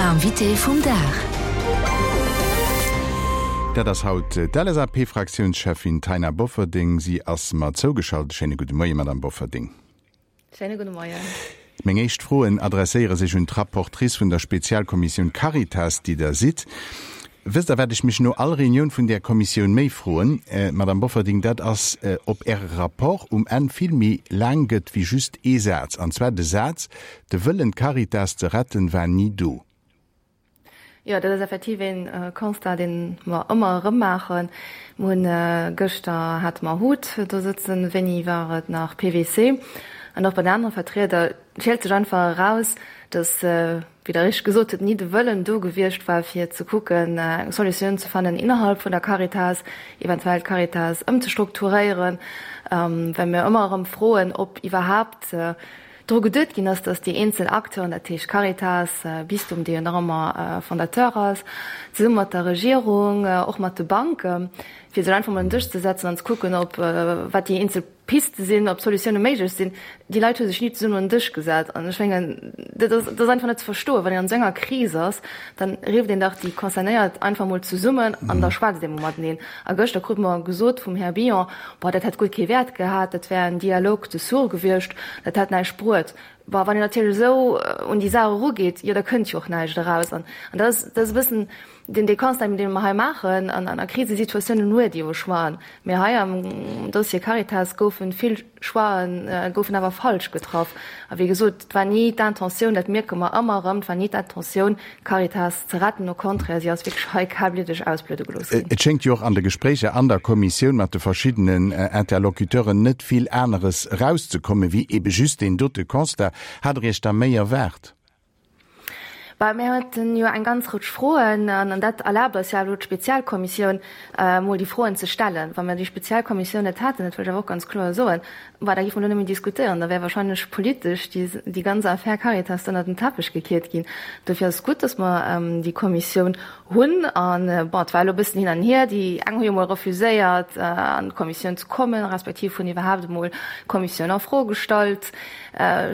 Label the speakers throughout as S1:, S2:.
S1: L'invité vum Dag.
S2: Dat ass haut d'LSAP-Fraktiounscheffin Taina Bofferding. Si ass mer zougeschalt. Schéine gudde Moie, Madame Bofferding.
S3: Schéine gudde Moien.
S2: Meng éischt Froen adresséiere sech un d'Rapportrice vun der Spezialkommissioun Caritas, déi Der sidd. Wësst Der, wat ech mech no all Reunioun vun där Kommissioun méi froen, Madame Bofferding? Dat ass, ob Äre Rapport um Enn vill méi laang gëtt wéi just ee Saz, an zwar de Saz, De Wëllen, d'Caritas ze retten, war ni do.
S3: Jo, dat ass effektiv een Constat, dee mer ëmmer erëm maachen. Mer hunn gëschter hate mer Hut do sëtzen, wéini war et nach, PwC an och bei den anere Vertrieder. Et schielt sech einfach eraus, datt, wéi Der richteg gesot hutt, ni de Wëllen do gewiescht war, fir ze kucken, eng Solutioun ze fannen innerhalb vun der Caritas, eventuell d'Caritas ëmzestrukturéieren, well mir ëmmer erëm froen, ob iwwerhaapt dru geduet ginn ass, datt déi eenzel Acteuren, dat heescht Caritas, Bistum, dee jo nach ëmmer Fondateur ass, zesumme mat der Regierung, och mat de Banken, fir sech einfach mol un den Dësch ze setzen an ze kucken, ob wat déi eenzel Piste sinn, ob Solutioune méiglech sinn. Déi Leit hu sech ni zesummen un den Dësch gesat. An ech mengen, dat ass, dat ass einfach net ze verstoen. Wann een an esou enger Kris ass, dann rifft een dach déi Concernéiert einfach mol zesummen an da schwätzt ee mol mateneen. A gëschter krute mer gesot vum Här Billon, Boah, dat hätt guer kee Wäert gehat, dat wär en Dialogue de sourds gewiescht, dat hätt näischt bruet. Boah, wann een natierlech esou un déi Saach erugeet, jo da kënnt jo och näischt eraus. An dat ass, dat ass e bëssen deen, dee Constat, dee mer hei maachen. An a Krisesituatiounen huet ee jo Choixen. Mee hei am Dossier Caritas goufe vill Choixen, goufen awer falsch getraff. A wéi gesot, et war ni d'Intentioun, dat mierke mer ëmmer erëm, et war ni d'Intentioun, d'Caritas ze retten. Au contraire, si ass wierklech hei kalbliddeg ausbluede gelooss ginn.
S2: Et schéngt jo och an de Gespréicher an der Kommissioun mat de verschiddenen Interlocuteuren net vill aneres erauszekommen, wéi ebe just deen dote Constat. Hat Der Iech da méi erwaart?
S3: Bah, mir haten jo eng ganz Rëtsch Froen, an dat erlaabt eis jo elo d'Spezialkommissioun, emol déi Froen ze stellen. Wa mir déi Spezialkommissioun net hätten, dat wëll ech awer och ganz kloer soen, bah, da géife mer elo net méi diskutéieren, da wär wahrscheinlech politesch déi, déi ganz Affär Caritas ënnert den Teppech gekiert ginn. Dofir ass et gutt, dass mer déi Kommissioun hunn. An, bon, et war elo e bëssen hin an hier. Déi eng hu jo emol refuséiert, an d'Kommissioun ze kommen, respektiv hunn iwwerhaapt emol d'Kommissioun a Fro gestallt.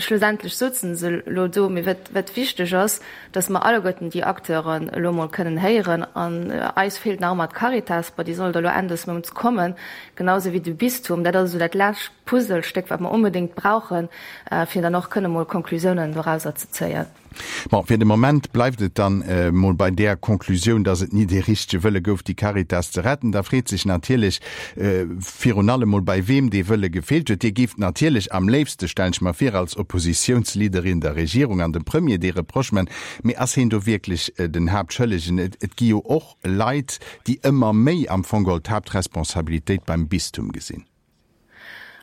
S3: Schlussendlech souzen se elo do. Mee wat, wat wichteg ass, dass mer alleguerten déi Acteuren elo emol kënnen héieren. An eis feelt nach ëmmer d'Caritas. Bon, déi soll da elo Enn des Mounts kommen, genau esou wéi de Bistum. Dat ass esou dat lescht Puzzlestéck, wat mer onbedéngt brauchen, fir dann och kënne mol Konklusiounen dorauser ze zéien.
S2: Bon, fir de Moment bleift et dann emol bei där Konklusioun, dass et ni dee richtege Wëlle gouf, déi Caritas ze retten. Da freet sech natierlech virun allem mol, bei weem dee Wëlle gefeelt huet. Dir géift natierlech am léifste, stellen ech mer vir, als Oppositiounsleaderin der Regierung an dem Premier dee Reproche man. Mee ass heen do wierklech den Haaptschëllegen? Et gi jo och Leit, déi ëmmer méi am Fong geholl d'Haaptresponsabilitéit beim Bistum gesinn.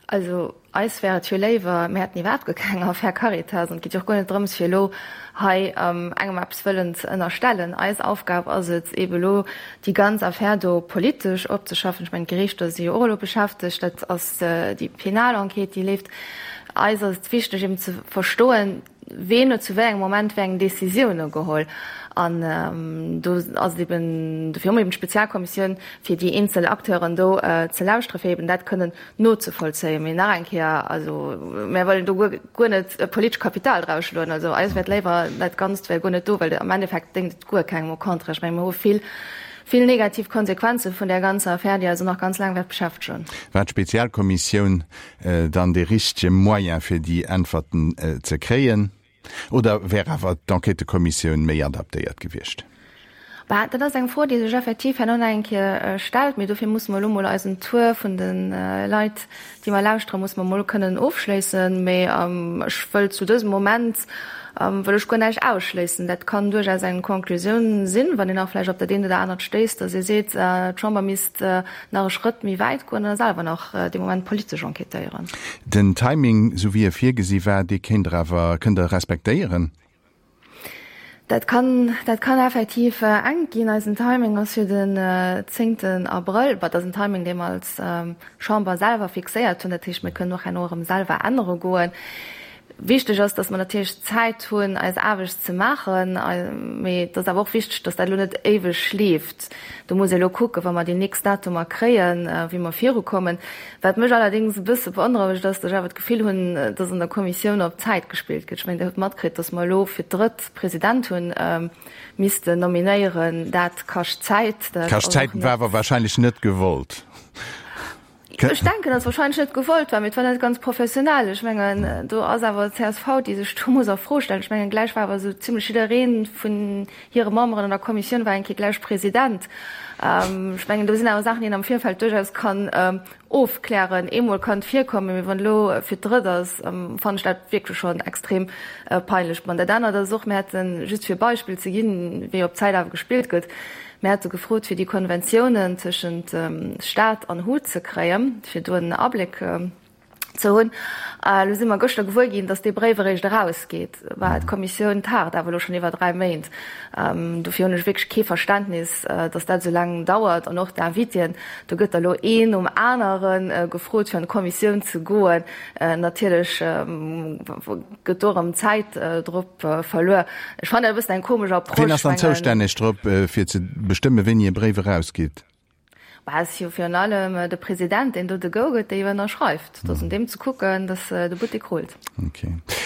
S3: Also eis wär et jo léiwer, mir hätten iwwerhaapt guer keng Affär Caritas. An et geet jo och guer net drëms, fir elo hei engem eppes wëllen ze ënnerstellen. Eis Aufgab ass et eebe elo, déi ganz Affär do politesch opzeschaffen. Ech mengen, d'Gerichter si jo och elo beschäftegt, dat ass déi penal Enquête, déi leeft. Eis ass et wichteg eeben ze verstoen, Ween huet zu wéi engem Moment wéi eng Décisioune geholl? An do ass et eben, dofir hu mer eben d'Spezialkommissioun, fir déi eenzel Acteuren do ze lauschteren, fir eben dat kënnen nozevollzéien. Mee nach eng Kéier, also mär wëllen do guer, guer net politesch Kapital draus schloen. Also eis wär et léiwer, dat Ganzt wär guer net do, well am Endeffekt déngt et guer kengem. Au contraire, ech menge mer hu vill, vill negativ Konsequenze vun där ganzer Affär, déi eis och nach ganz laang wäert beschäftegen.
S2: War d'Spezialkommissioun dann dee richtege Moyen fir déi Äntwerten ze kréien oder wär awer d'Enquêtëkommissioun méi adaptéiert gewiescht?
S3: Bah, dat ass eng Fro, déi sech effektiv herno nach eng Kéier stellt. Mee dofir musse mer elo mol eisen Tour vun de Leit, déi mer lauschteren, musse mer mol kënnen ofschléissen. Mee ech wëll zu dësem Moment wëll ech guer näischt ausschléissen. Dat kann duerchaus eng Conclusioun sinn, wann een nach vläicht op dat eent oder anert stéisst, datt ee seet, d'Chamber misst nach e Schrëtt méi wäit goen a selwer nach dee Moment politesch enquêtéieren.
S2: Den Timing, esou wéi e virgesi war, dee kéint Der awer, kënnt Der respektéieren?
S3: Dat kann, dat kann effektiv enk ginn. Eisen Timing ass jo den zéngten Abrëll. Bon, dat ass en Timing, dee mer als Chamber selwer fixéiert hunn. Dat heescht, mir kënnen och herno erëm selwer ännere goen. Wichteg ass, dass mer natierlech Zäit hunn, eis Aarbecht ze maachen. Mee et ass awer och wichteg, dass dat elo net éiweg leeft. Do muss ee elo kucken, wa mer déi nächst Datumer kréien, wéi mer virukommen. Wat mech allerdéngs e bësse beonrouegt, ass, dass ech awer d'Gefill hunn, dass an der Kommissioun op Zäit gespillt gëtt. Ech mengen, Dir hutt matkritt, dass mer elo fir d'drëtt President hunn missten nominéieren. Dat kascht Zäit.
S2: Dat kascht Zäit, war awer wahrscheinlech net gewollt.
S3: Ech denken, datt wahrscheinlech net gewollt war, mee et war net ganz professionell. Ech mengen, do ass awer d'CSV, déi sech do muss a Fro stellen. Ech mengen, gläich war awer esou zimlech jidderee vun hire Memberen an der Kommissioun war eng Kéier gläich President. Ech mengen, do sinn awer Saachen, déi een am Virfeld duerchaus kann ofklären. Eemol kann et virkommen, mee wann et elo fir d'drëtt ass, fannen ech dat wierklech schonn extrem peinlech. Bon, dat anert ass och, mir hätten, just fir e Beispill ze ginn, wéi op Zäit awer gespillt gëtt, Mir hate gefrot, fir déi Konventiounen tëschent Stat an hut ze kréien, fir do en Abléck ze hunn. Elo si mer gëschter gewuer ginn, datt dee Bréif eréischt erausgeet. Bah, d'Kommissioun tagt awer elo schonn iwwer 3 Méint. Dofir hunn ech wierklech kee Verständnis, datt dat esou laang dauert. An och d'Invitéen, do gëtt da lo een nom anere gefrot, fir an d'Kommissioun ze goen. Natierlech gëtt do erëm Zäit drop verluer. Ech fannen dat e bëssen eng komesch Approche.
S2: Wien ass dann zoustänneg drop, fir ze bestëmmen, wéini e Bréif erausgeet?
S3: Bah, et ass jo virun allem de President, deen do de Go gëtt, dee jo ënnerschreift. Et ass un deem ze kucken, datt de Buttek rullt.
S2: Ok.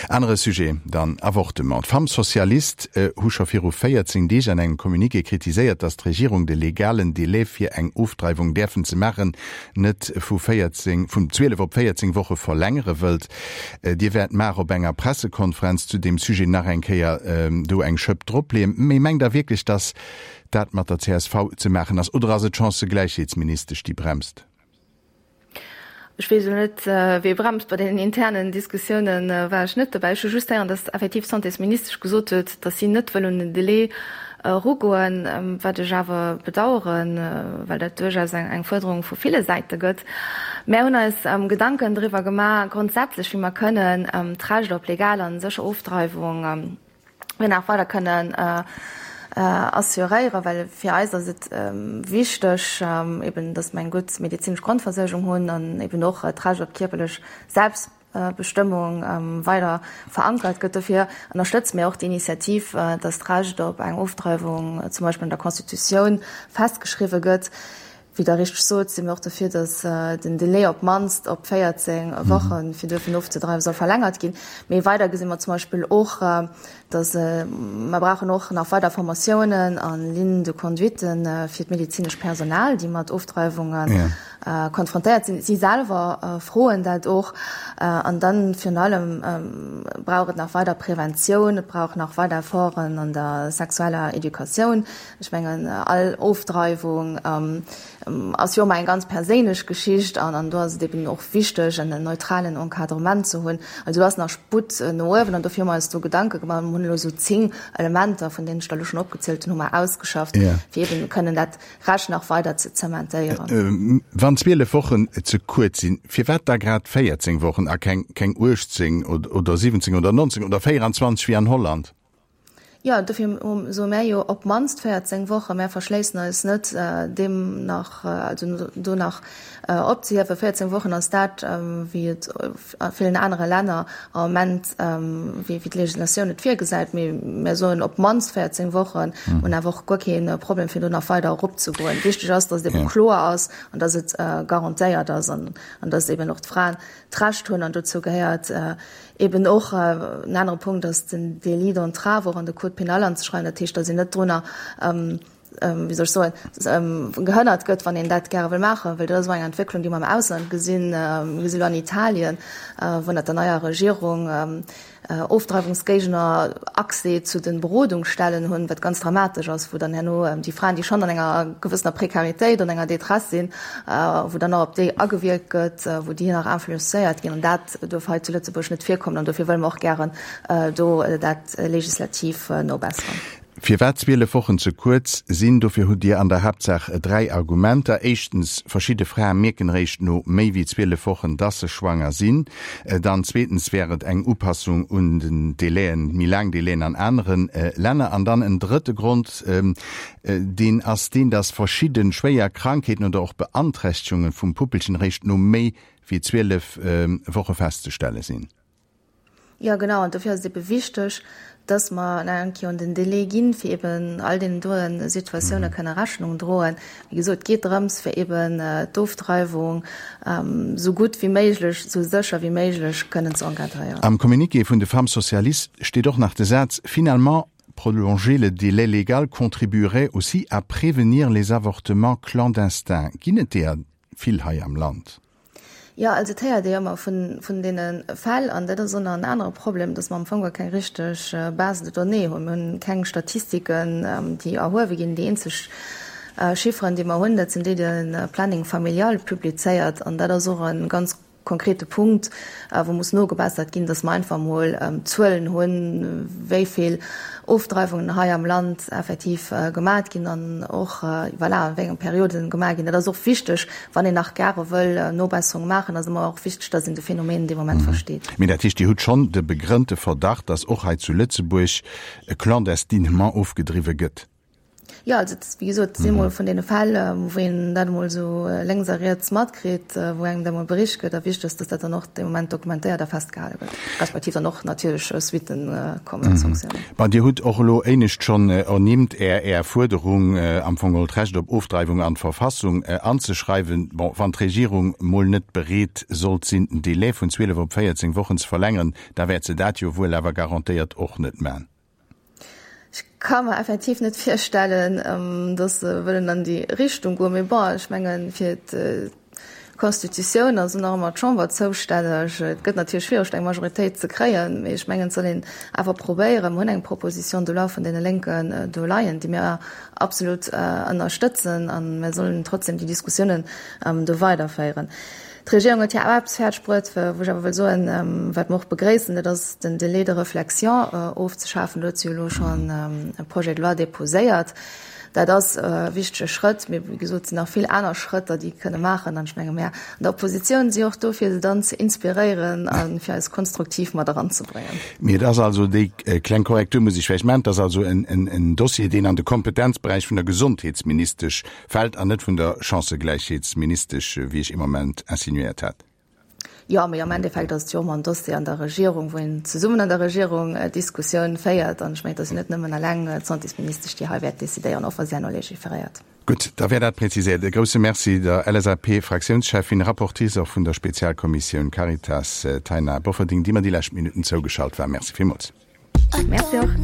S2: Anere Sujet dann, Avortement. D'Femmes socialistes hu scho viru 14 Deeg an engem Communiqué kritiséiert, datt d'Regierung de legalen Delai fir eng Ofdreiwung däerfen ze maachen net vu 14, vun 12 op 14 Woche verlängere wëllt. Dir wäert mar op enger Pressekonferenz zu deem Sujet nach eng Kéier do eng Schëpp dropleeën. Mee mengt Der wierklech, datt dat mat der csv ze maachen ass? Oder ass et d'Chancëgläichheetsministesch, déi bremst?
S3: Ech weess elo net, wee bremst. Bei deenen internen Diskussiounen war ech net dobäi. Ech hu just héieren, datt effektiv d'Santésministesch gesot huet, datt si net wëll un den Delai erugoen, wat ech awer bedauern, well dat duerchaus eng Fuerderung vu ville Säite gëtt. Mär hunn eis Gedanken driwwer gemaach, grondsätzlech, wéi mer kënnen d'Recht op legal an sécher Ofdreiwung nach weider kënnen assuréieren, well fir eis ass et wichteg, eben datt mer eng gutt medezinesch Grondversuergung hunn an eben och d'Recht op kierperlech Selbst Bestëmmung weider verankert gëtt. Dofir ënnerstëtze mir och d'Initiativ, dass d'Recht op eng Ofdreiwung zum Beispill an der Constitutioun festgeschriwwe gëtt. Wéi Der richteg sot, si mir och dofir, dass den Delai op d'mannst op 14 Wochen, fir duerfen ofzedreiwen, soll verlängert ginn. Mee weider gesi mer zum Beispill och, dass mer brauchen och nach weider Formatiounen a Lignes de conduite fir d'medezinesch Personal, déi mat Ofdreiwunge konfrontéiert sinn. Si selwer froen dat och. An dann virun allem brauch et nach weider Preventioun, et brauch nach weider Efforten an der sexueller Educatioun. Ech mengen, all Ofdreiwung ass jo ëmmer eng ganz perséinlech Geschicht an an do ass et eben och wichteg, en neutralen Encadrement ze hunn. Also do ass nach Sputt no uewen an dofir hu mer eis do Gedanke gemaach. Mir hunn elo esou 10 Elementer, vun deenen ech der elo schonn opgezielt hunn, hu mer ausgeschafft, fir eben kënnen dat Recht nach weider ze zementéieren.
S2: Wann 12 Wochen ze kuerz sinn, firwat da grad 14 Wochen a keng 18 oder 17 oder 19 oder 24 wéi an Holland?
S3: Jo, dofir soe mär jo op d'mannst 14 Wochen. Mär verschléissen eis net, deem nach, also do nach opzehiewen. 14 Wochen ass dat, wéi et a villen anere Länner am Moment, wéi d'Legislatioun et virgesäit. Mee mär soen op d'mannst 14 Wochen, hunn awer och guer kee Problem, fir do nach weider eropzegoen. Wichteg ass, datt et ebe kloer ass an datt et garantéiert ass an datt eben och d'Fraen d'Recht hunn, an dozou gehéiert eben och en anere Punkt ass den Délit d'entrave och an de Code pénal anzeschreiwen, dat heescht, datt een net drunner, wéi soll ech soen, gehënnert gëtt, wann een dat gäre wëll maachen, well dat ass och eng Entwécklung, déi mer am Ausland gesinn. Mir gesi lo an Italien, wou ënnert der neier Regierung Ofdreiwungsgéigner Accès zu de Berodungsstellen hunn, wat ganz dramatesch ass, wou dann herno déi Fraen, déi schonn an enger gewëssener Prekaritéit, an enger Détresse sinn, wou dann nach op déi agewierkt gëtt, wou déi nach influencéiert ginn. An dat duerf hei zu Lëtzebuerg net virkommen. An dofir wëlle mer och gären do dat legislativ nobesseren.
S2: Firwat 12 Wochen ze kuerz sinn, dofir hutt Dir an der Haaptsaach 3 Argumenter. Éischtens, verschidde Frae mierken eréischt no méi wéi 12 Wochen, dass se schwanger sinn. Dann zweetens wär et eng Upassung un den Délaiën, méi laang Délaiën an anere Länner. An dann en drëtte Grond, deen ass deen, dass verschidde schwéier Krankheeten oder och Beanträchtegungen vum Puppelchen eréischt no méi wéi 12 Woche festzestelle sinn.
S3: Jo, genau. An dofir ass et ebe wichteg, dass mer nach eng Kéier un den Délai ginn, fir eben all deenen doen Situatioune kënne Rechnung droen. Wéi gesot, et geet drëms, fir eben d'Ofdreiwung esou gutt wéi méiglech, esou sécher wéi méiglech kënnen ze encadréieren.
S2: Am Communiqué vun de Femmes socialistes steet och nach de Saz, Finalement, prolonger le délai légal contribuerait aussi à prévenir les avortements clandestins. Ginn et deeër vill hei am Land?
S3: Jo, also et héiert ee jo ëmmer vun deene Fäll, an dat ass och nach en anere Problem, datt mer am Fong guer keng richteg Base de données hunn. Mir hunn keng Statistiken, déi erhuewe ginn. Déi eenzeg Chifferen, déi mer hunn, dat sinn déi, déi de Planning familial publizéiert, an dat ass och e ganz konkrete Punkt, wou muss nogebessert ginn, datt mer einfach emol Zuelen hunn, wéi vill Ofdreiwungen hei am Land effektiv gemat ginn an och, voilà, an wéi enge Perioden gemaach ginn. Dat ass och wichteg, wann een nach gare wëll Nobesserunge maachen, ass ëmmer och wichteg, dass een de Phänomen dee Moment versteet.
S2: Mee dat heescht, Dir hutt schonn de begrënnte Verdacht, dass och hei zu Lëtzebuerg clandestinement ofgedriwwe gëtt?
S3: Jo, also et, wéi gesot, et si mol vun deene Fäll, wou een dat emol esou lénks a riets matkritt, wou engem dat emol bericht gëtt. A wichteg ass, dass dat dann och dee Moment dokumentéiert a festgehale gëtt, respektiv dann och natierlech Suitten kommen, Sanktiounen.
S2: Bon, Dir hutt och elo éinescht schonn ernimmt, Är, Är Fuerderung, am Fong geholl d'Recht op Ofdreiwung an d'Verfassung anzeschreiwen. Bon, wann d'Regierung mol net bereet sollt sinn, den Délai vun 12 op 14 Wochen ze verlängeren, da wäert se dat jo wuel awer garantéiert och net man.
S3: Ech ka mer effektiv net virstellen, datt se wëllen an déi Richtung goen. Mee bon, ech mengen, fir d'Constitutioun ass nach ëmmer d'Chamber zoustänneg. Et gëtt natierlech schwiereg, do eng Majoritéit ze kréien, mee ech mengen, et soll een awer probéieren. Mer hunn eng Proposition de loi vun deene Lénken do leien, déi mir absolut ënnerstëtzen, a mir sollen trotzdem déi Diskussiounen do weiderféieren. D'Regierung huet hir awer eppes fäerdeg bruet, wou ech awer wëll soen, wat mer och begréissen, dat ass den Délai de réflexion ofzeschafen. Do huet se jo elo schonn e Projet de loi déposéiert. Dat ass e wichtege Schrëtt, mee wéi gesot, et sinn nach vill aner Schrëtter, déi kënne maachen. An ech menge mir an der Oppositioun si och do, fir se dann ze inspiréieren a fir eis konstruktiv mat eranzebréngen.
S2: Mee et ass also, déi kleng Korrektur muss ech vläicht maachen, et ass also en Dossier, deen an de Kompetenzberäich vun der Gesondheetsministesch Fält an net vun der Chancëgläichheetsministesch, wéi ech ee Moment insinuéiert hat.
S3: Jo, mee am Endeffekt ass et jo ëmmer en Dossier an der Regierung, wou een zesummen an der Regierung d'Diskussioun féiert. An ech mengen, et ass jo net nëmmen eleng d'Santésministesch, déi hei wäert decidéieren, och wa si herno legiferéiert.
S2: Gutt, da wär dat präziséiert. E grouse Merci der LSAP-Fraktiounscheffin, Rapportrice och vun der Spezialkommissioun Caritas, Taina Bofferding, déi mer déi lescht Minutten zougeschalt war. Merci villmools.
S3: Merci och.